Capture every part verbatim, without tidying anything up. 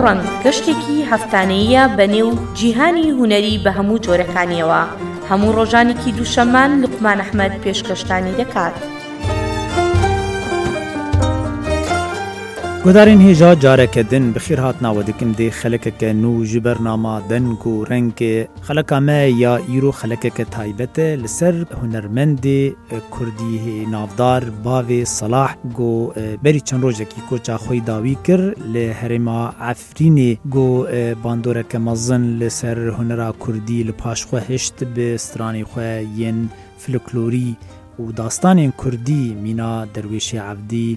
ڕەنگ، گەشتێکی هەفتانەییە بە نێو جیهانی هونەری بە هەموو جۆرەکانیەوە. هەموو ڕۆژانێکی دووشەممان لوقمان ئەحمەد پێشکەشتانی دەکات. Guhdarên hêja, careke din bi xêr hatina we dikim dê xelekeke nû ji bernama Deng û Rengê. Xeleka me ya îro xelekeke taybet e li ser hunermendê kurdî hê navdar Bavê Salah, ku berî çend rojekî koça xwe yî dawî kir li herêma Efrînê, ku bandoreke mezin li ser hunera kurdî li paş xwe hişt bi stranê xwe yên folklorî û dastanên kurdî mîna Derwêşê Evdî,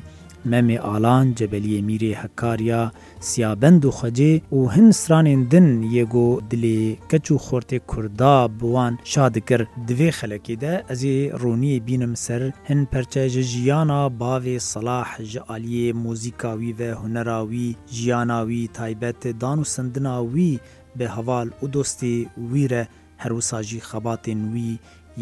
Memê Alan, Cebeliyê Mîrê, Hekarya, Siyabend û Xwecê û hin stranên din yê ku dilê keç û xortê kurda bi wan şa dikir. Di vê xelekê de ez ê roniyê bînim ser hin perçe ji jiyana Bavê Salah, ji aliyê muzîka wî ve, hunera wî, jiyana wî taybet, dan û sendina wî bi heval û dostê wî re, her wisa jî xebatên wî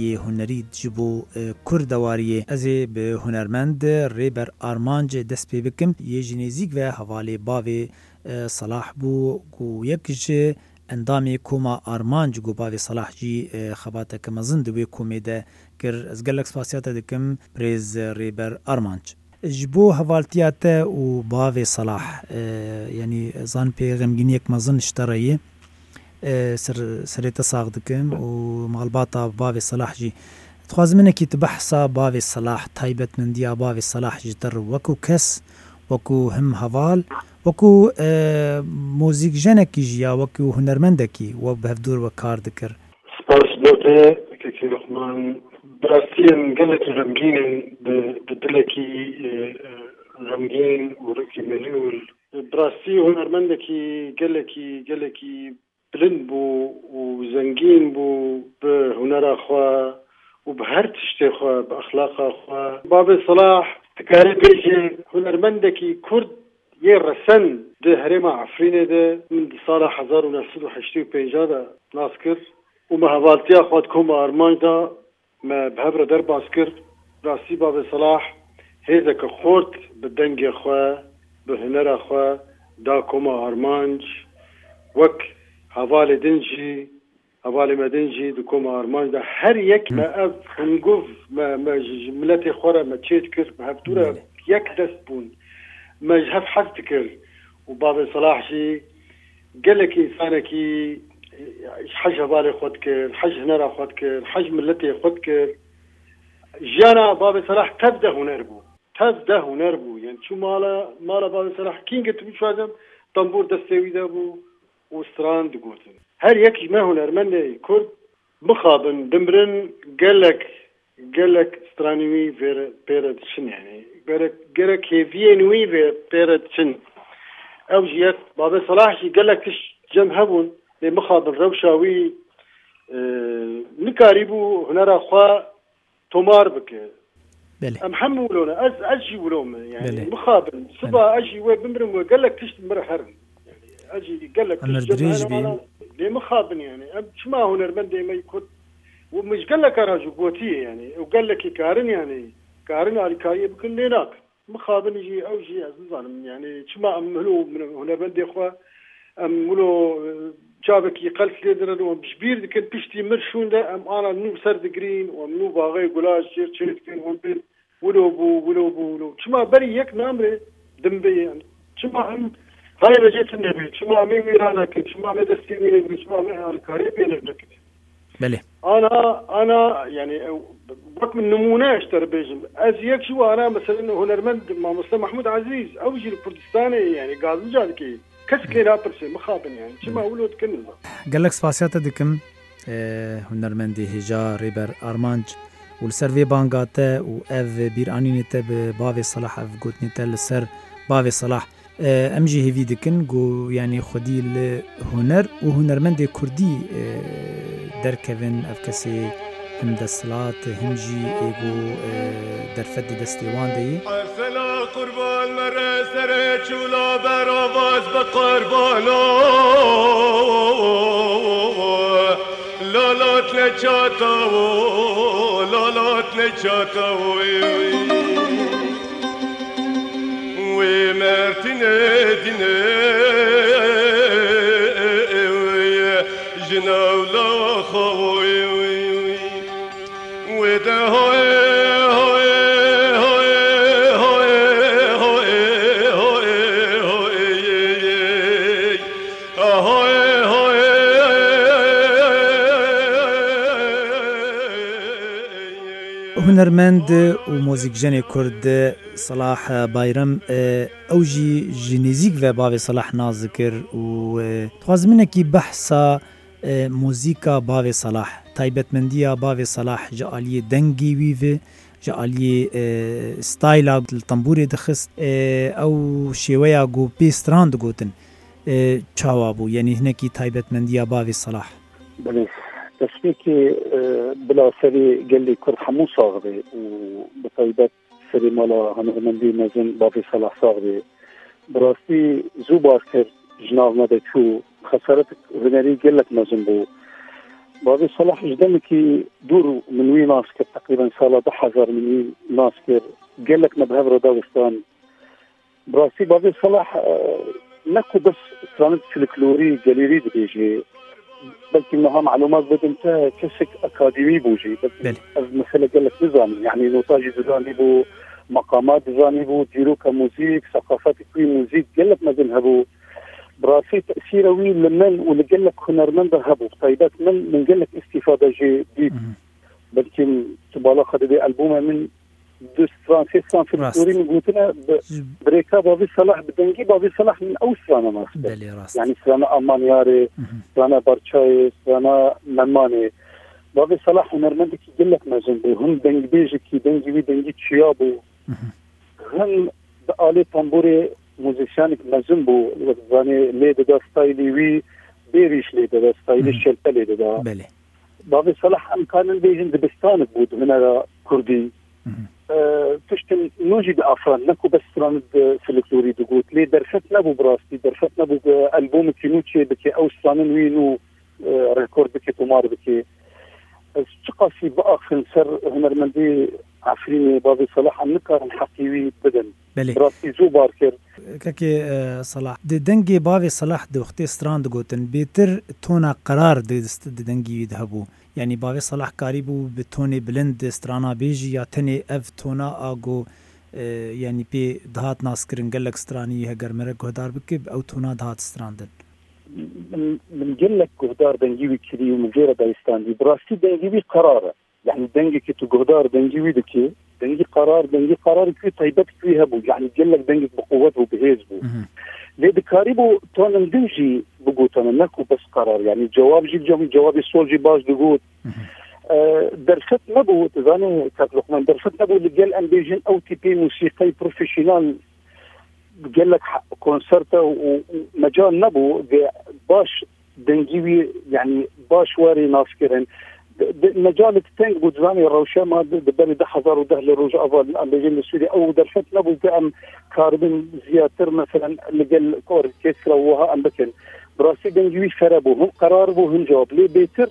yê hunerî ji bo, e, Kurd de wariyê. Ez ê bi hunermend Rêber Armanc dest pê bikim. Yê ji nêzîk ve hevalê Bavê, e, Salah bû, ku yek ji endamê Koma Armanc, ku Bavê Salah jî, e, xebateke mezin di wê komê de kir. Ez gelek spasiya te dikim, birêz Rêber Armanc. Ji bo hevaltiya te û Bavê Salah, e, yanî zan pê xemgîniyek mezin ji te re ye. E, ser, serê te sax dikim û malbata Bavê Salah jî. Dixwazim hinekî tu behsa Bavê Salah, taybetmendiya Bavê Salah ji te re wekû kes, wekû him heval, wekû, e, muzîkjenekî jî ya wekû hunermendekî we bi hevdûr we kar dikir. Spas bo te, Kekê Luqman. Bi rastî em gelekî xemgîn in, bi, bi dilekî, e, e, xemgîn û rikî melûl. Bi rastî hunermendekî gelekî, gelekî bilind bû û zengîn bû bi hunera xwe û bi her tiştê xwe, bi exlaqa xwe. Bavê Salah, dikarî bêjî hunermendekî Kurd yê resen di herêma Efrînê de. Min di sala hezar û neh sed û heştê û pênc de nas kir û me hevaltiya xwe di Koma Armanc de me bi hev re derbas kir. Rastî Bavê Salah hêzeke xort bi dengê xwe, bi hunera xwe da Koma Armanc. Wek hevalê din jî, hevalê me din jî di Koma Armanc de her yek me ev hunguv me, me ji, ji miletê xwe re me çê dikir, bi hevdû re yek dest bûn. Me ji hev hez dikir û Bavê Salah jî gelek însanekî, e, hej hevalê xwe dikir, hej hunera xwe dikir, hej miletê xwe dikir. Jiyana Bavê Salah tev de huner bû. Tev de huner bû. Yani çû mala, mala Bavê Salah kîngê tu biçû tembûr destê wî de bû û stran digotin. Her yek ji me hunermendê Kurd mixabin, dimrin, gelek gelek stranî wî vêre, pêre diçin, yani. Gerek, gerek hêviyên wî vê pêre diçin. Ew jî yek, Babê Salah jî gelek tişt cem hebûn, lê mixabin rewşa wî, e, nikarîbû hunera xwe tomar bike. Belê. Em hemû wilo ne, ez, ez jî wilo me, yani. Belê. Mixabin, siba ez jî wê bimirim, wê gelek tişt min re herin. Yani, ez jî gelek tişt cem herin, lê mixabin, yani. Em çima hunermendê me yî Kurd Û min ji geleka re jî gotiye, yani, ew gelekî karin, yani, karin alîkariyê bikin, lê nakin. Mixabin jî, ew jî, ez nizanim, yani, çima em hilo hunermendê xwe, em wilo, e, çavekî qels lê dirin û em ji bîr dikin, piştî mir şûnde em ana nû ser digirîn û em nû baxê gula ji jêr çê dikin û em bên wilo bû, wilo bû, wilo. Çima berî yek namrê dimbê, yani, çima em hayê me jê tune bê, çima em ê wî ranekin, çima em ê destê wî nedin, çima em ê alîkariyê pê nekin? Belê. Ana, ana, yani, ew, wek min nimûne ji te re bêjim. Ez yek ji wana, mesela, hunermend Mamoste Mahmud Aziz, ew jî li Kurdistanê, yani, gazinca dike. Kes lê napirse, mixabin, yani. Çima wilo dikin, nizanim. Gelek spasiya te dikim, e, hunermendê hêja Rêber Armanc û li ser vê banga te û ev bîranînê te bi Bavê Salah, ev gotinê te li ser Bavê Salah, E, em jî hêvî dikin ku, yanî, xwedî li huner û hunermendê kurdî, e, derkevin, ev kesê him desthilat, him jî ê ku, e, derfet di destê wan de ye. Esela qurban mere serê çûla beravaz bi qurbano. Lalat ne çatawo, lalat ne çatawo. Wê mertine dine. Jinewla xwe wê, wê de hoyê, hoyê, hoyê, hoyê, hoyê, hoyê, hoyê, yê, yê. A hoyê, hoyê. Hunermend û muzîkjenê Kurd Silah Bayram, e, ew jî ji nêzîk ve bavê Silah nas dikir û, e, dixwazim hinekî behsa e, muzîka bavê Salah, taybetmendiya bavê Salah ji aliyê dengê wî ve, ji aliyê, e, stayla li tembûrê dixist, e, ew şêweya ku pê stran digotin, e, çawa bû? Yanî hinekî taybetmendiya bavê Salah. Belê, destpêkê, e, bila serê gelê Kurd hemû sax be û bi taybet serê mala hunermendê mezin bavê Salah sax be. Bi rastî zû bar kir ji nav me de çû. Xesaretek hunerî gelek mezin bû. Bavê Salah ji demekî dûr min wî nas kir, teqrîben sala du hezar min wî nas kir. Gelek me bi hev re dawistan. Bi rastî bavê Salah, e, ne ku bes stranik folklorî, gelêrî dibêjê. Belkî niha malûmat bidim te, kesek akademî bû jî. Belkî Belê. Ev mesele gelek nizanî. Yanî nota jî dizanî bû, meqamat dizanî bû, dîroka muzîk, seqafetê wî muzîk gelek mezin hebû. Bi rastî tesîra wî li min û li gelek hunermend de hebû. Bi taybet min, min gelek îstîfade jê dît. Mhm. Belkî tu bala xwe didê albûma min du stran, sê stran Rast. Folklorî min gotine, bi, Ji bi rêka bavê Salah, bi dengî bavê Salah min ew strana nas kir. Belê, rast. Yanî strana Aman Yarê, Mhm. strana Barçayê, strana Memanê. Bavê Salah hunermendekî gelek mezin bû. Him dengbêjekî, dengî wî dengî çiya bû. Mhm. Him di alê tembûrê muzîsyanek mezin bû. Wek zanê lê dida staylê wî, bê rîş lê dida staylê, Mhm. şelpe lê dida. Belê. Bavê Salah em karin bêjin dibistanek bû di hunera kurdî. Mhm. E, tiştin nû jî diafirand, ne ku bes stranik di folklorî digot. Lê derfet nebû bi rastî, derfet nebû bi albûmekî nû çê bike, ew stranin wî nû, e, rekord bike, tomar bike. Ez çiqasî biaxivim ser hunermendê Efrînê, bavê Salah, em nikarin heqî wî bidin. Belê. Bi rastî zû bar kir. Kekê, e, Salah, di dengê bavê Salah di wextê stran digotin, bêtir tona qerar di, di dengî wî de hebû. Yanî bavê Salah karîbû bi tonê bilind strana bêjî ya tenê ev tona a ku, e, yanî pê dihat naskirin gelek stranî heger mere guhdar bike, bi ew tona dihat strandin? Min, min gelek guhdar dengî wî kirî û min jê re dayî standî. Bi rastî dengî wî qerar e. Yanî dengekî tu guhdar dengî wî dikî, dengî qerar, dengî qerarek wî taybet wî hebû. Yanî gelek dengek bi quwet bû, bi hêz bû. Mhm. Lê dikarîbû tonin din jî bigotane, ne ku bes qerar. Yanî cewab jî, cewab, cewabê sol jî baş digot. Mhm. E, derfet nebû, tu zanî, kak Lokman, derfet nebû li gel em bêjin ew tîpê musîqey profesyonel gelek he-, konserte û, û mecal nebû, ge-, baş dengî wî, yanî baş werê naskirin. Di, di, mecalek teng bû, dizanî rewşa ma di, di berî du hezar û deh li Rojava, em bêjin li Sûriyê, ew derfet nebû ku em karibin ziyadtir, meselen, li gel orkestra û wiha em bikin. Bi rastî dengî wî fere bû, him qerar bû, him cewab. Lê bêtir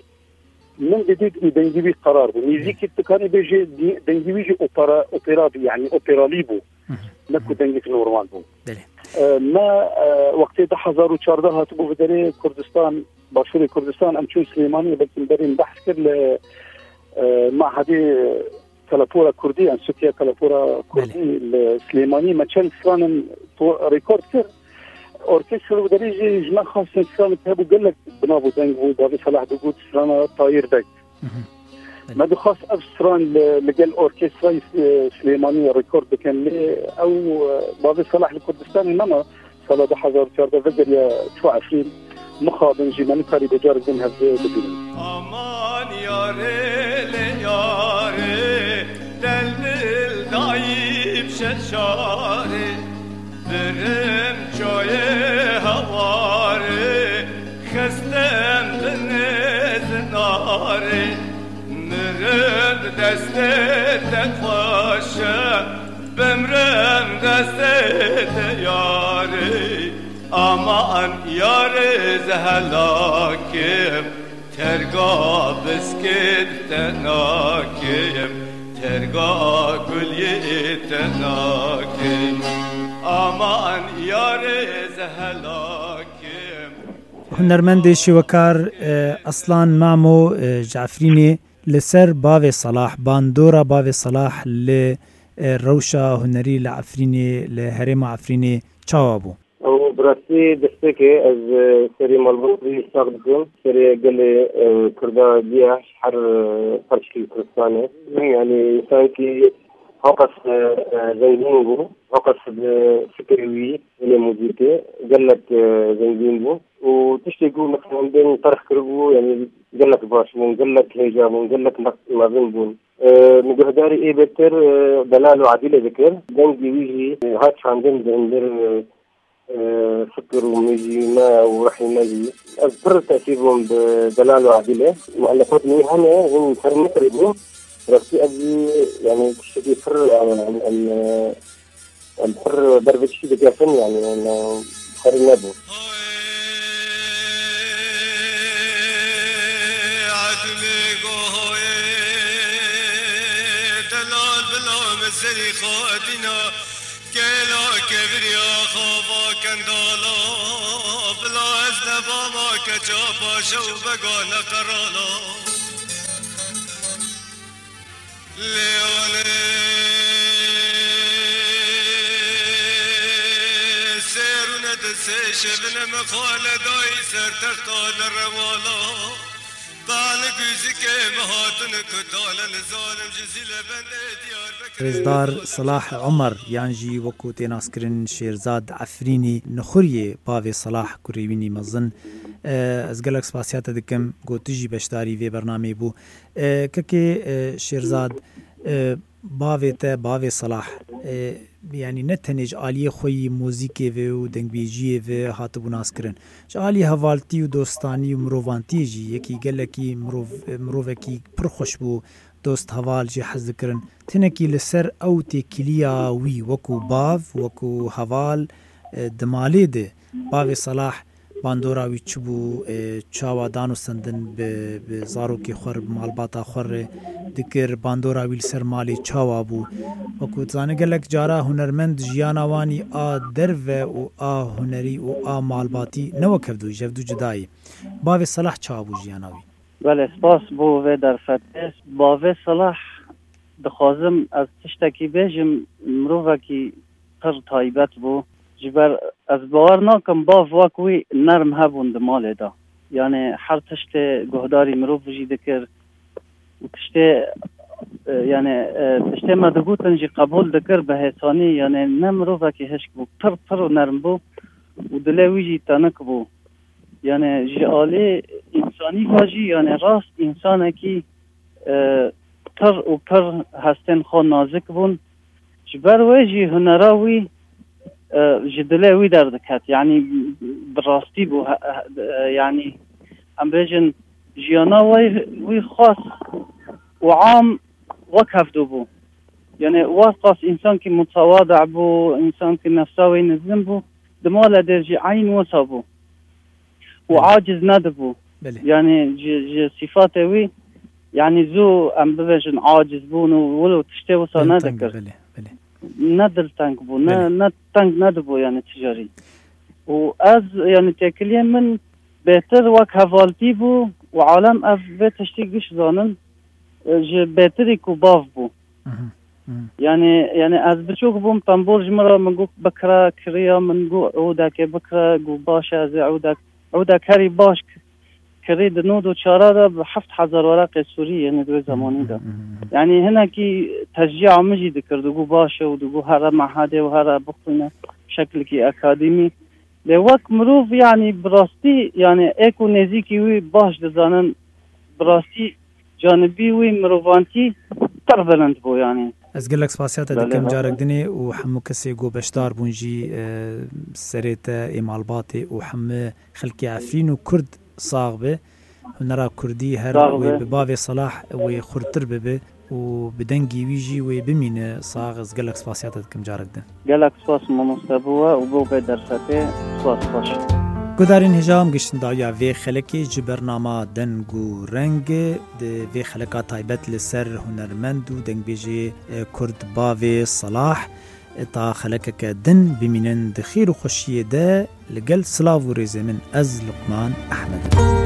min didît û dengî wî qerar bû. Nêzîkî tu kanî bêjî, dengî wî jî opera, opera bû, yanî operalî bû. Mhm. Ne ku dengek normal bû. Belê. E, me, e, wextê du hezar û çardeh hatibû bi derê Kurdistan, Başûrê Kurdistan, em çûn Silêmaniyê, belkî berê min behs kir li, e, Mahedê Telepora Kurdî, Enstitûya Telepora Kurdî Belê. Li Silêmaniyê me çend stranin to-, rekord kir. Orkestra bi derê jî ji me xwestin stranek hebû gelek bi nav û deng bû, bavê Salah digot strana Tayir Beg. Mhm. Me dixwest ev stran li, li gel orkestrayê, e, Silêmaniyê rekord bikin, lê ew, e, bavê Salah li Kurdistanê nema, sala du hezar û çardeh vegeriya çû Efrîn, mixabin jî me nikarî bi carek din hev bibînin. Aman yarê lê yarê, del dil dayî bi şeşarê. Birim çayê hewarê, xistem binê zinarê. Mirim destê te xweş e, bimrim destê te yarê. Aman yarê ez helakê, terga biskê te nakê, terga guliyê te nakê. Aman yarê ez helakê. Hunermendê şêwekar, e, Aslan Mamo, e, ji Efrînê li ser bavê Selah, bandora bavê Selah li, e, rewşa hunerî li Efrînê, li herêma Efrînê çawa bû? Ew bi rastî destekê ez, e, serê malbatê sax dikim, serê gelê, e, Kurda diya her, e, parçekî Kurdistanê. Yanî însankî Hoqas, e, e, zengîn bû. Hoqas bi fikrê wî, dilê muzîkê gelek, e, zengîn bû. Û tiştê ku, mesela, em bên terx kiribû, yanî gelek baş bûn, gelek hêja bûn, gelek me-, mezin bûn. E, min guhdarî ê bêtir, e, Delal û Adîlê dikir. Dengê wî jî, e, hat çandin di hundir, e, e, fikir û mîjî me û rihî me jî. Ez pir tesîr bûm bi Delal û Adîlê. Muelefat min hene, hûn ser nekirî bû. Rastî ez jî, yanî, tiştekî pir, em, em, em, em pir ber vê tiştî dikefin, yanî, em, xerî nebû. Delal bila min serî xwe dîna. Kela keviriya xava kendala, bila ez nebama keça paşe û begane qerala. Lê anê sêr û ne di sê şevine min xale dayî ser texta li rewala. Bal guzike mi hatin ku dale nizanim ji zîle bendê Diyarbekirê. Rêzdar Silah Omer, yan jî wekû tê naskirin Şêrzad Efrînî, nixuriyê bavê Silah, kurê wînî mezin. E, ez gelek spasiya te dikim, ku tu jî beşdarî vê bernameyê bû. E, kekê, e, Şêrzad, e, bavê te, bavê Silah, e, yanî ne tenê ji aliyê xwe yî muzîkê ve û dengbêjiyê ve hatibû naskirin. Ji aliyê hevaltî û dostanî û mirovantiyê jî yekî gelekî mirov, mirovekî pir xweş bû, dost heval jê hez dikirin. Tinekî li ser ew têkiliya wî wekû bav, wekû heval, e, di malê de bavê Selah bandora wî çi bû, e, çawa danûstendin bi, bi zarokê xwe re, bi malbata xwe re dikir, bandora wî li ser malê çawa bû? Wekû dizane gelek cara hunermend jiyana wanî a derve û a hunerî û a malbatî ne wek hevdû, ji hevdû cuda ye. Bavê Selah çawa bû jiyana wî? Belê, spas bo vê derfetê. Bavê Selah, dixwazim ez tiştekî bêjim, mirovekî pir taybet bû. Ji ber ez bawer nakim bav wek wî nerm hebûn di malê de. Yanî her tiştê guhdarî mirov jî dikir û tiştê, e, yanî, e, tiştê me digotin jî qebûl dikir bi hêsanî. Yanî ne mirovekî hişk bû, pir pir û nerm bû û dilê wî jî tenik bû. Yanî ji alî însanî ve jî, yanî rast însanekî, e, pir û pir hestên xwe nazik bûn. Ji ber wê jî hunera wî, e, ji dilê wî derdiket. Yanî bi rastî bû, he, he, e, yanî em bêjin jiyana wê, wî xas û am wek hevdû bû. Yanî wek qas însankî mutewade bû, însankî nefsa wê nizim bû, di malê de jî eyn wisa bû. Û Belê. aciz nedibû. Belê. Yanî ji, ji sîfatê wî, yanî zû em bibêjin aciz bûn û wilo tiştê wisa Dilteng, nedikir. belê, belê. Ne dilteng bû, ne, Belê. ne teng nedibû, yanî tijarî. Û ez, yanî têkiliyên min bêtir wek hevaltî bû û alem ev vê tiştî giş zanin, e, ji bêtirî ku bav bû. Mhm, mhm. Yanî, yanî ez biçûk bûm, tembûr ji min re min got bikire, kiriya min got ûdekê bikire, got baş e, ez ê ûdek, ûdek herî baş k-, kirî di nod û çara de bi heft hezar weraqê sûrî, yanî di wê zemanî de. Mhm, mhm, mhm. Yanî hinekî teşcîa min jî dikir, digot baş e û digot here mehedê û here bixwîne şeklikî akademî. Lê wek mirov, yanî bi rastî, yanî ê ku nêzîkî wî baş dizanin, bi rastî canibî wî mirovantî pir bilind bû, yanî. Ez gelek spasiya te Belê, dikim belê. carek dinê û hemû kesê ku beşdar bûn jî, e, serê te, ê malbatê û hemû xelkê Efrîn û Kurd sax be. Hunera Kurdî her Sax wê be. bi bavê Selah wê xurtir bibe û bi dengê wî jî wê bimîne sax. Ez gelek spasiya te dikim carek din. Gelek spas mamoste bo we û bo vê derfetê. Spas xweş. Guhdarên hêja, em giştin dawiya vê xelekê ji bernama Deng û Reng. Di vê xeleka taybet li ser hunermend û dengbêjê, e, Kurd bavê Selah. Heta xelekeke din bimînin di xêr û xweşiyê de, li gel silav û rêzê min, ez Luqman Ehmed im.